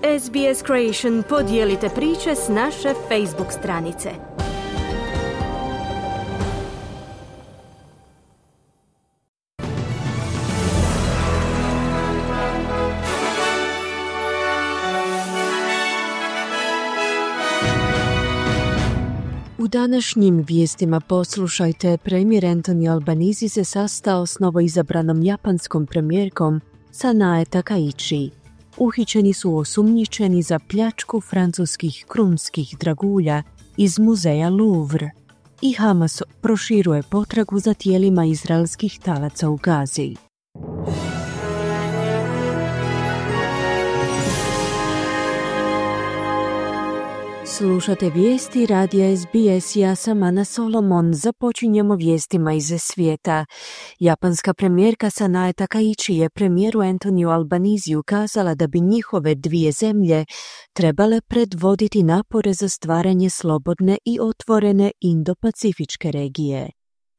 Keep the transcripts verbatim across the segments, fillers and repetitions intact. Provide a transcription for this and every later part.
S B S Creation podijelite priče s naše Facebook stranice. U današnjim vijestima poslušajte, premijer Anthony Albanese se sastao s novoizabranom japanskom premijerkom Sanae Takaichi. Uhićeni su osumnjičeni za pljačku francuskih krunskih dragulja iz muzeja Louvre. I Hamas proširuje potragu za tijelima izraelskih talaca u Gazi. Slušate vijesti radija S B S, ja sam Ana Solomon. Započinjemo vijestima iz svijeta. Japanska premijerka Sanae Takaichi je premijeru Anthonyu Albaneseu kazala da bi njihove dvije zemlje trebale predvoditi napore za stvaranje slobodne i otvorene Indo-Pacifičke regije.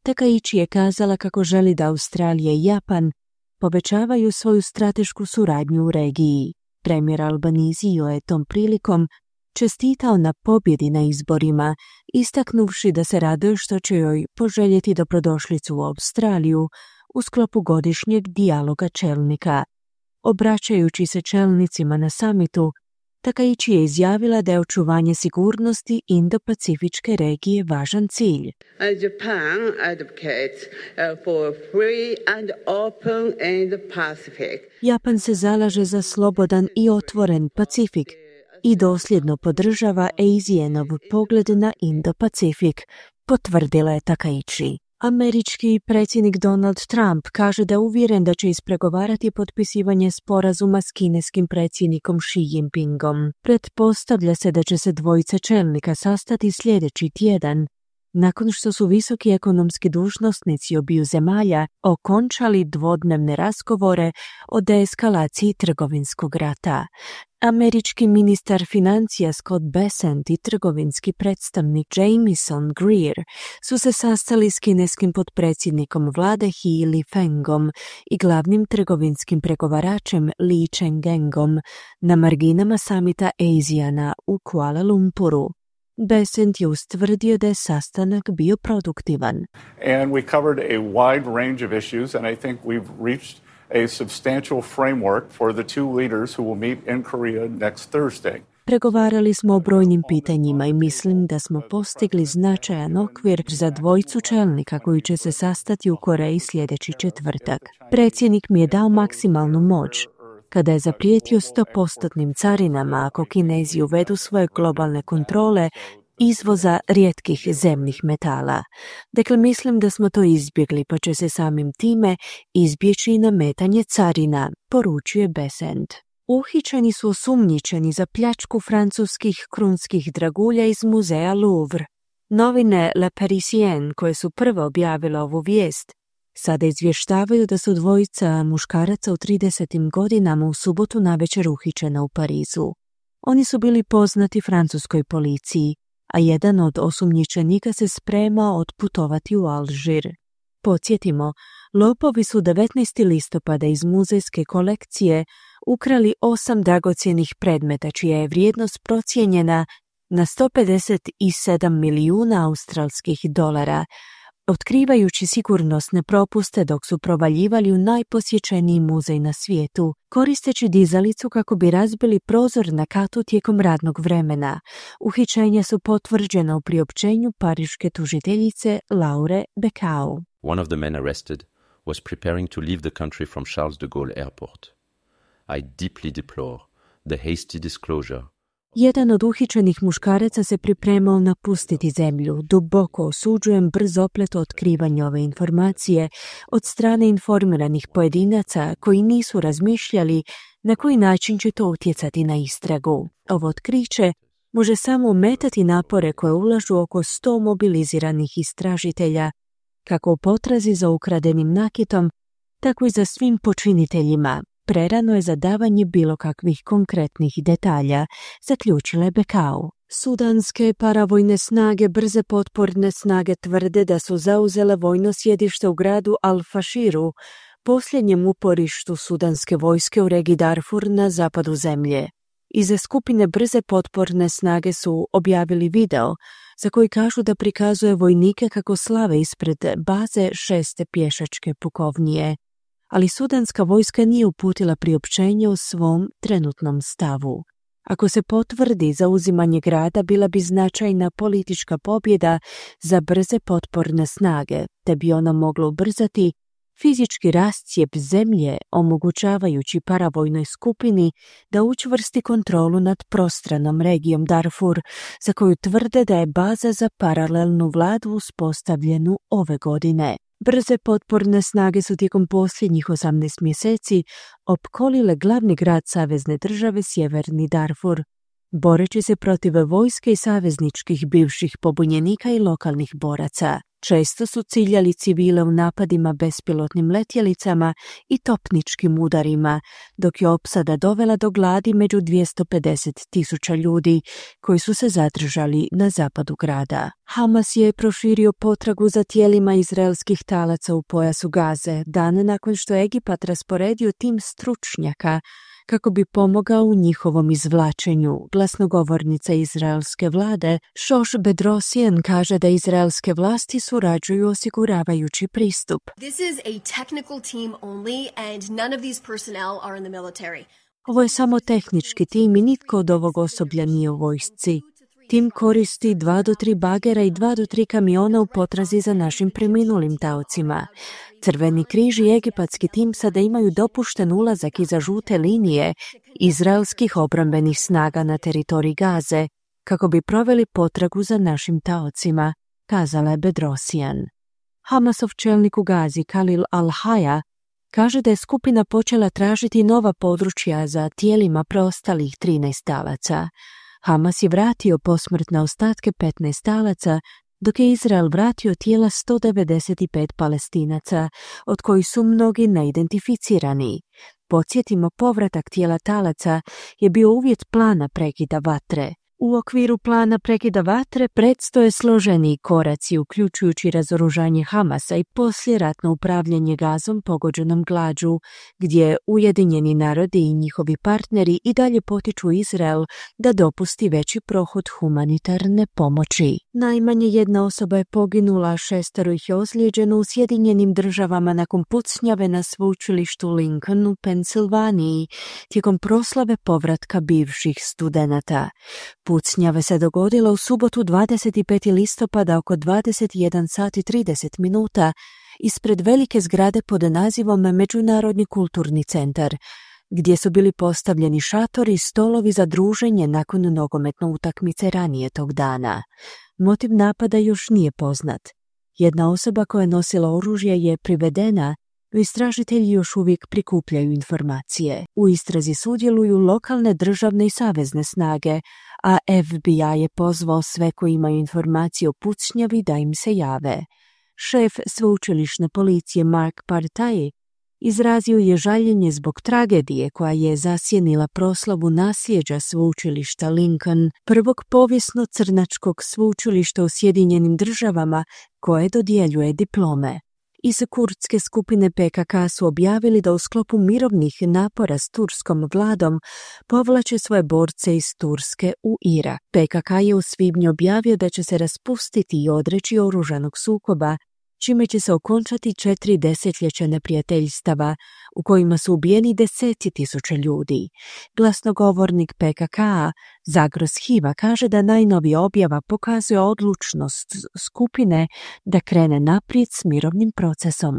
Takaichi je kazala kako želi da Australija i Japan povećavaju svoju stratešku suradnju u regiji. Premijer Albaneseu je tom prilikom čestitao na pobjedi na izborima, istaknuvši da se raduje što će joj poželjeti dobrodošlicu u Australiju u sklopu godišnjeg dijaloga čelnika. Obraćajući se čelnicima na samitu, Takaichi je izjavila da je očuvanje sigurnosti Indo-Pacifičke regije važan cilj. Japan advocates for free and open Indo-Pacific. Japan se zalaže za slobodan i otvoren Pacifik i dosljedno podržava ASEANov pogled na Indo-Pacifik, potvrdila je Takaichi. Američki predsjednik Donald Trump kaže da je uvjeren da će ispregovarati potpisivanje sporazuma s kineskim predsjednikom Xi Jinpingom. Pretpostavlja se da će se dvojica čelnika sastati sljedeći tjedan, nakon što su visoki ekonomski dužnosnici obiju zemalja okončali dvodnevne razgovore o deeskalaciji trgovinskog rata. Američki ministar financija Scott Bessent i trgovinski predstavnik Jamieson Greer su se sastali s kineskim potpredsjednikom vlade He Lifengom i glavnim trgovinskim pregovaračem Li Chengengom na marginama samita ASEANA u Kuala Lumpuru. Bessent je ustvrdio da je sastanak bio produktivan. And we covered a wide range of issues, and I think we've reached a substantial framework for the two leaders who will meet in Korea next Thursday. Pregovarali smo o brojnim pitanjima i mislim da smo postigli značajan okvir za dvojicu čelnika koji će se sastati u Koreji sljedeći četvrtak. Predsjednik mi je dao maksimalnu moć kada je zaprijetio sto posto carinama ako Kinezi uvedu svoje globalne kontrole izvoza rijetkih zemnih metala. Dakle, mislim da smo to izbjegli, pa će se samim time izbjeći i nametanje carina, poručuje Bessent. Uhićeni su osumnjičeni za pljačku francuskih krunskih dragulja iz muzeja Louvre. Novine Le Parisien, koje su prvo objavile ovu vijest, sada izvještavaju da su dvojica muškaraca u tridesetim godinama u subotu navečer uhićena u Parizu. Oni su bili poznati francuskoj policiji, a jedan od osumnjičenika se spremao otputovati u Alžir. Podsjetimo, lopovi su devetnaestog listopada iz muzejske kolekcije ukrali osam dragocjenih predmeta, čija je vrijednost procijenjena na sto pedeset sedam milijuna australskih dolara, otkrivajući sigurnosne propuste dok su provaljivali u najposjećeniji muzej na svijetu, koristeći dizalicu kako bi razbili prozor na katu tijekom radnog vremena. Uhićenja su potvrđena u priopćenju pariške tužiteljice Laure Becao. One of the men arrested was preparing to leave the country from Charles de Gaulle Airport. I deeply deplore the hasty disclosure. Jedan od uhićenih muškaraca se pripremao napustiti zemlju. Duboko osuđujem brz oplet otkrivanja ove informacije od strane informiranih pojedinaca koji nisu razmišljali na koji način će to utjecati na istragu. Ovo otkriće može samo ometati napore koje ulažu oko sto mobiliziranih istražitelja, kako u potrazi za ukradenim nakitom, tako i za svim počiniteljima. Prerano je za davanje bilo kakvih konkretnih detalja, zaključila je Becao. Sudanske paravojne snage, brze potporne snage tvrde da su zauzele vojno sjedište u gradu Al-Fashiru, posljednjem uporištu sudanske vojske u regiji Darfur na zapadu zemlje. Iz skupine brze potporne snage su objavili video za koji kažu da prikazuje vojnike kako slave ispred baze šeste pješačke pukovnije, ali sudanska vojska nije uputila priopćenje o svom trenutnom stavu. Ako se potvrdi zauzimanje grada, bila bi značajna politička pobjeda za brze potporne snage, te bi ona mogla ubrzati fizički rascijep zemlje, omogućavajući paravojnoj skupini da učvrsti kontrolu nad prostranom regijom Darfur, za koju tvrde da je baza za paralelnu vladu uspostavljenu ove godine. Brze potporne snage su tijekom posljednjih osamnaest mjeseci opkolile glavni grad savezne države Sjeverni Darfur, boreći se protiv vojske i savezničkih bivših pobunjenika i lokalnih boraca. Često su ciljali civile u napadima bespilotnim letjelicama i topničkim udarima, dok je opsada dovela do gladi među dvjesto pedeset tisuća ljudi koji su se zadržali na zapadu grada. Hamas je proširio potragu za tijelima izraelskih talaca u pojasu Gaze, dan nakon što je Egipat rasporedio tim stručnjaka kako bi pomogao u njihovom izvlačenju. Glasnogovornica izraelske vlade Shosh Bedrosian kaže da izraelske vlasti surađuju osiguravajući pristup. This is a technical team only and none of these personnel are in the military. Ovo je samo tehnički tim i nitko od ovog osoblja nije u vojsci. Tim koristi dva do tri bagera i dva do tri kamiona u potrazi za našim preminulim taocima. Crveni križ i egipatski tim sada imaju dopušten ulazak iza žute linije izraelskih obrambenih snaga na teritoriji Gaze, kako bi proveli potragu za našim taocima, kazala je Bedrosian. Hamasov čelnik u Gazi, Khalil al-Haya, kaže da je skupina počela tražiti nova područja za tijelima preostalih trinaest talaca. Hamas je vratio posmrtne ostatke petnaest talaca, dok je Izrael vratio tijela sto devedeset pet Palestinaca, od kojih su mnogi neidentificirani. Podsjetimo, povratak tijela talaca je bio uvjet plana prekida vatre. U okviru plana prekida vatre predstoje složeniji koraci, uključujući razoružanje Hamasa i poslijeratno upravljanje Gazom pogođenom glađu, gdje Ujedinjeni narodi i njihovi partneri i dalje potiču Izrael da dopusti veći prohod humanitarne pomoći. Najmanje jedna osoba je poginula, šestero ih je ozlijeđeno u Sjedinjenim državama nakon pucnjave na sveučilištu Lincoln u Pensilvaniji tijekom proslave povratka bivših studenata. Pucnjave se dogodila u subotu dvadeset petog listopada oko dvadeset jedan sat i trideset minuta ispred velike zgrade pod nazivom Međunarodni kulturni centar, gdje su bili postavljeni šatori i stolovi za druženje nakon nogometne utakmice ranije tog dana. Motiv napada još nije poznat. Jedna osoba koja je nosila oružje je privedena, no istražitelji još uvijek prikupljaju informacije. U istrazi sudjeluju lokalne, državne i savezne snage, a F B I je pozvao sve koji imaju informacije o pucnjavi da im se jave. Šef sveučilišne policije Mark Partaj izrazio je žaljenje zbog tragedije koja je zasjenila proslavu nasljeđa sveučilišta Lincoln, prvog povijesno crnačkog sveučilišta u Sjedinjenim državama koje dodjeljuje diplome. Iz kurdske skupine P K K su objavili da u sklopu mirovnih napora s turskom vladom povlače svoje borce iz Turske u Irak. P K K je u svibnju objavio da će se raspustiti i odreći oružanog sukoba, čime će se okončati četiri desetljeća neprijateljstava u kojima su ubijeni deseci tisuća ljudi. Glasnogovornik P K K-a Zagros Hiva kaže da najnovija objava pokazuje odlučnost skupine da krene naprijed s mirovnim procesom.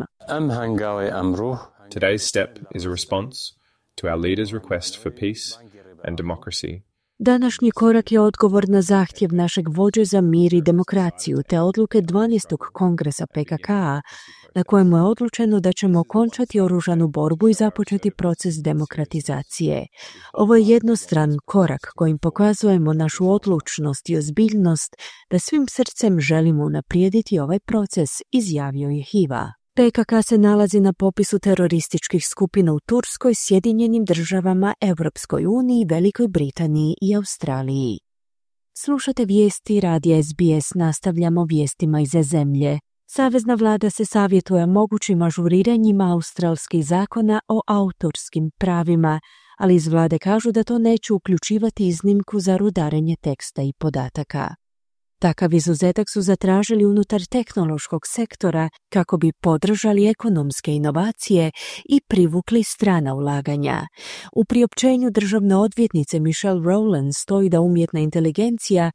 Today's step is a response to our leaders' request for peace and democracy. Današnji korak je odgovor na zahtjev našeg vođe za mir i demokraciju te odluke dvanaestog kongresa P K K-a na kojemu je odlučeno da ćemo okončati oružanu borbu i započeti proces demokratizacije. Ovo je jednostran korak kojim pokazujemo našu odlučnost i ozbiljnost da svim srcem želimo unaprijediti ovaj proces, izjavio je Hiva. P K K se nalazi na popisu terorističkih skupina u Turskoj, Sjedinjenim državama, Europskoj uniji, Velikoj Britaniji i Australiji. Slušate vijesti radija S B S, nastavljamo vijestima iz zemlje. Savezna vlada se savjetuje mogućim ažuriranjima australskih zakona o autorskim pravima, ali iz vlade kažu da to neće uključivati iznimku za rudarenje teksta i podataka. Takav izuzetak su zatražili unutar tehnološkog sektora kako bi podržali ekonomske inovacije i privukli strana ulaganja. U priopćenju državne odvjetnice Michelle Rowland stoji da umjetna inteligencija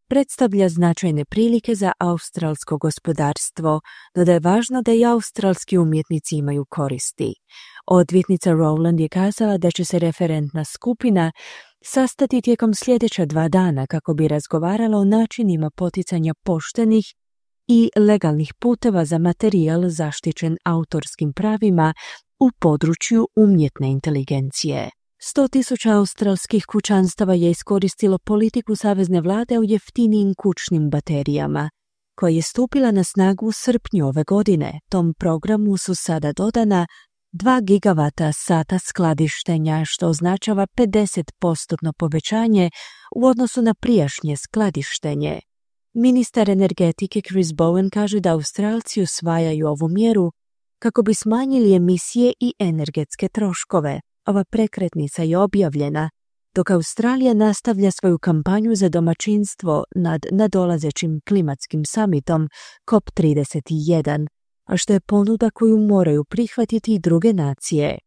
predstavlja značajne prilike za australsko gospodarstvo, no da je važno da i australski umjetnici imaju koristi. Odvjetnica Rowland je kazala da će se referentna skupina sastati tijekom sljedeća dva dana kako bi razgovarala o načinima poticanja poštenih i legalnih puteva za materijal zaštićen autorskim pravima u području umjetne inteligencije. sto tisuća australskih kućanstava je iskoristilo politiku savezne vlade o jeftinijim kućnim baterijama, koja je stupila na snagu u srpnju ove godine. Tom programu su sada dodana dva gigavata sata skladištenja, što označava pedeset posto povećanje u odnosu na prijašnje skladištenje. Ministar energetike Chris Bowen kaže da Australci usvajaju ovu mjeru kako bi smanjili emisije i energetske troškove. Ova prekretnica je objavljena dok Australija nastavlja svoju kampanju za domaćinstvo nad nadolazećim klimatskim samitom C O P trideset jedan, a što je ponuda koju moraju prihvatiti i druge nacije.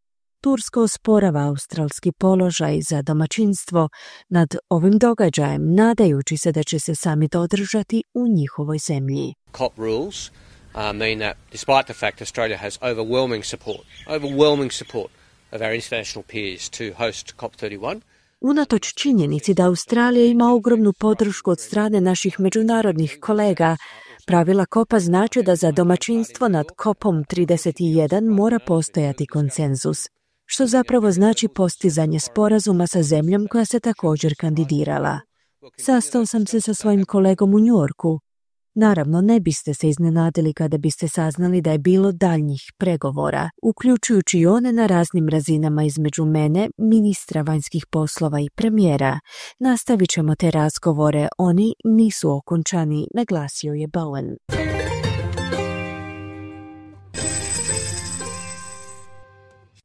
Turska osporava australski položaj za domaćinstvo nad ovim događajem, nadajući se da će se samit održati u njihovoj zemlji. C O P rules uh, mean that despite the fact Australia has overwhelming support, overwhelming support of our international peers to host C O P thirty-one, unatoč činjenici da Australija ima ogromnu podršku od strane naših međunarodnih kolega, pravila kopa znači da za domaćinstvo nad kopom trideset jedan mora postojati konsenzus, što zapravo znači postizanje sporazuma sa zemljom koja se također kandidirala. Sastao sam se sa svojim kolegom u Njujorku. Naravno, ne biste se iznenadili kada biste saznali da je bilo daljnjih pregovora, uključujući i one na raznim razinama između mene, ministra vanjskih poslova i premijera. Nastavit ćemo te razgovore, oni nisu okončani, naglasio je Bowen.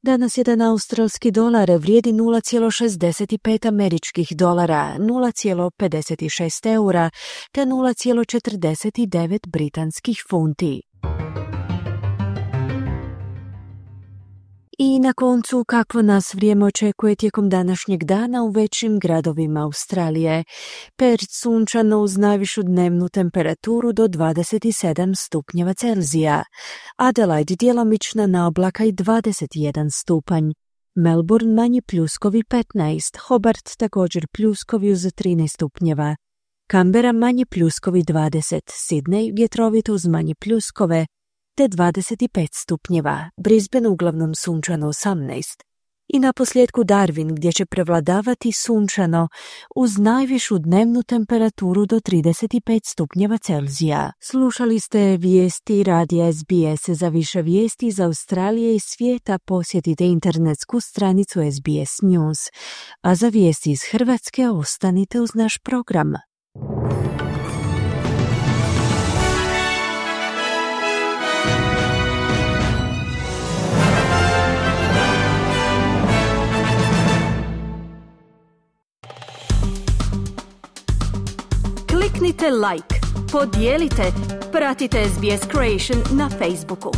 Danas jedan australski dolar vrijedi nula zarez šezdeset pet američkih dolara, nula zarez pedeset šest eura te nula zarez četrdeset devet britanskih funti. I na koncu, kakvo nas vrijeme očekuje tijekom današnjeg dana u većim gradovima Australije. Perth sunčano uz najvišu dnevnu temperaturu do dvadeset sedam stupnjeva Celzija. Adelaide djelomična na oblaka i dvadeset jedan stupanj. Melbourne manji pljuskovi petnaest, Hobart također pljuskovi uz trinaest stupnjeva. Canberra manji pljuskovi dvadeset, Sydney vjetrovito uz manje pljuskove te dvadeset pet stupnjeva, Brisbane uglavnom sunčano osamnaest. I na posljedku Darwin gdje će prevladavati sunčano uz najvišu dnevnu temperaturu do trideset pet stupnjeva Celzija. Slušali ste vijesti radija S B S. Za više vijesti iz Australije i svijeta posjetite internetsku stranicu S B S News. A za vijesti iz Hrvatske ostanite uz naš program. Kliknite like, podijelite, pratite S B S Creation na Facebooku.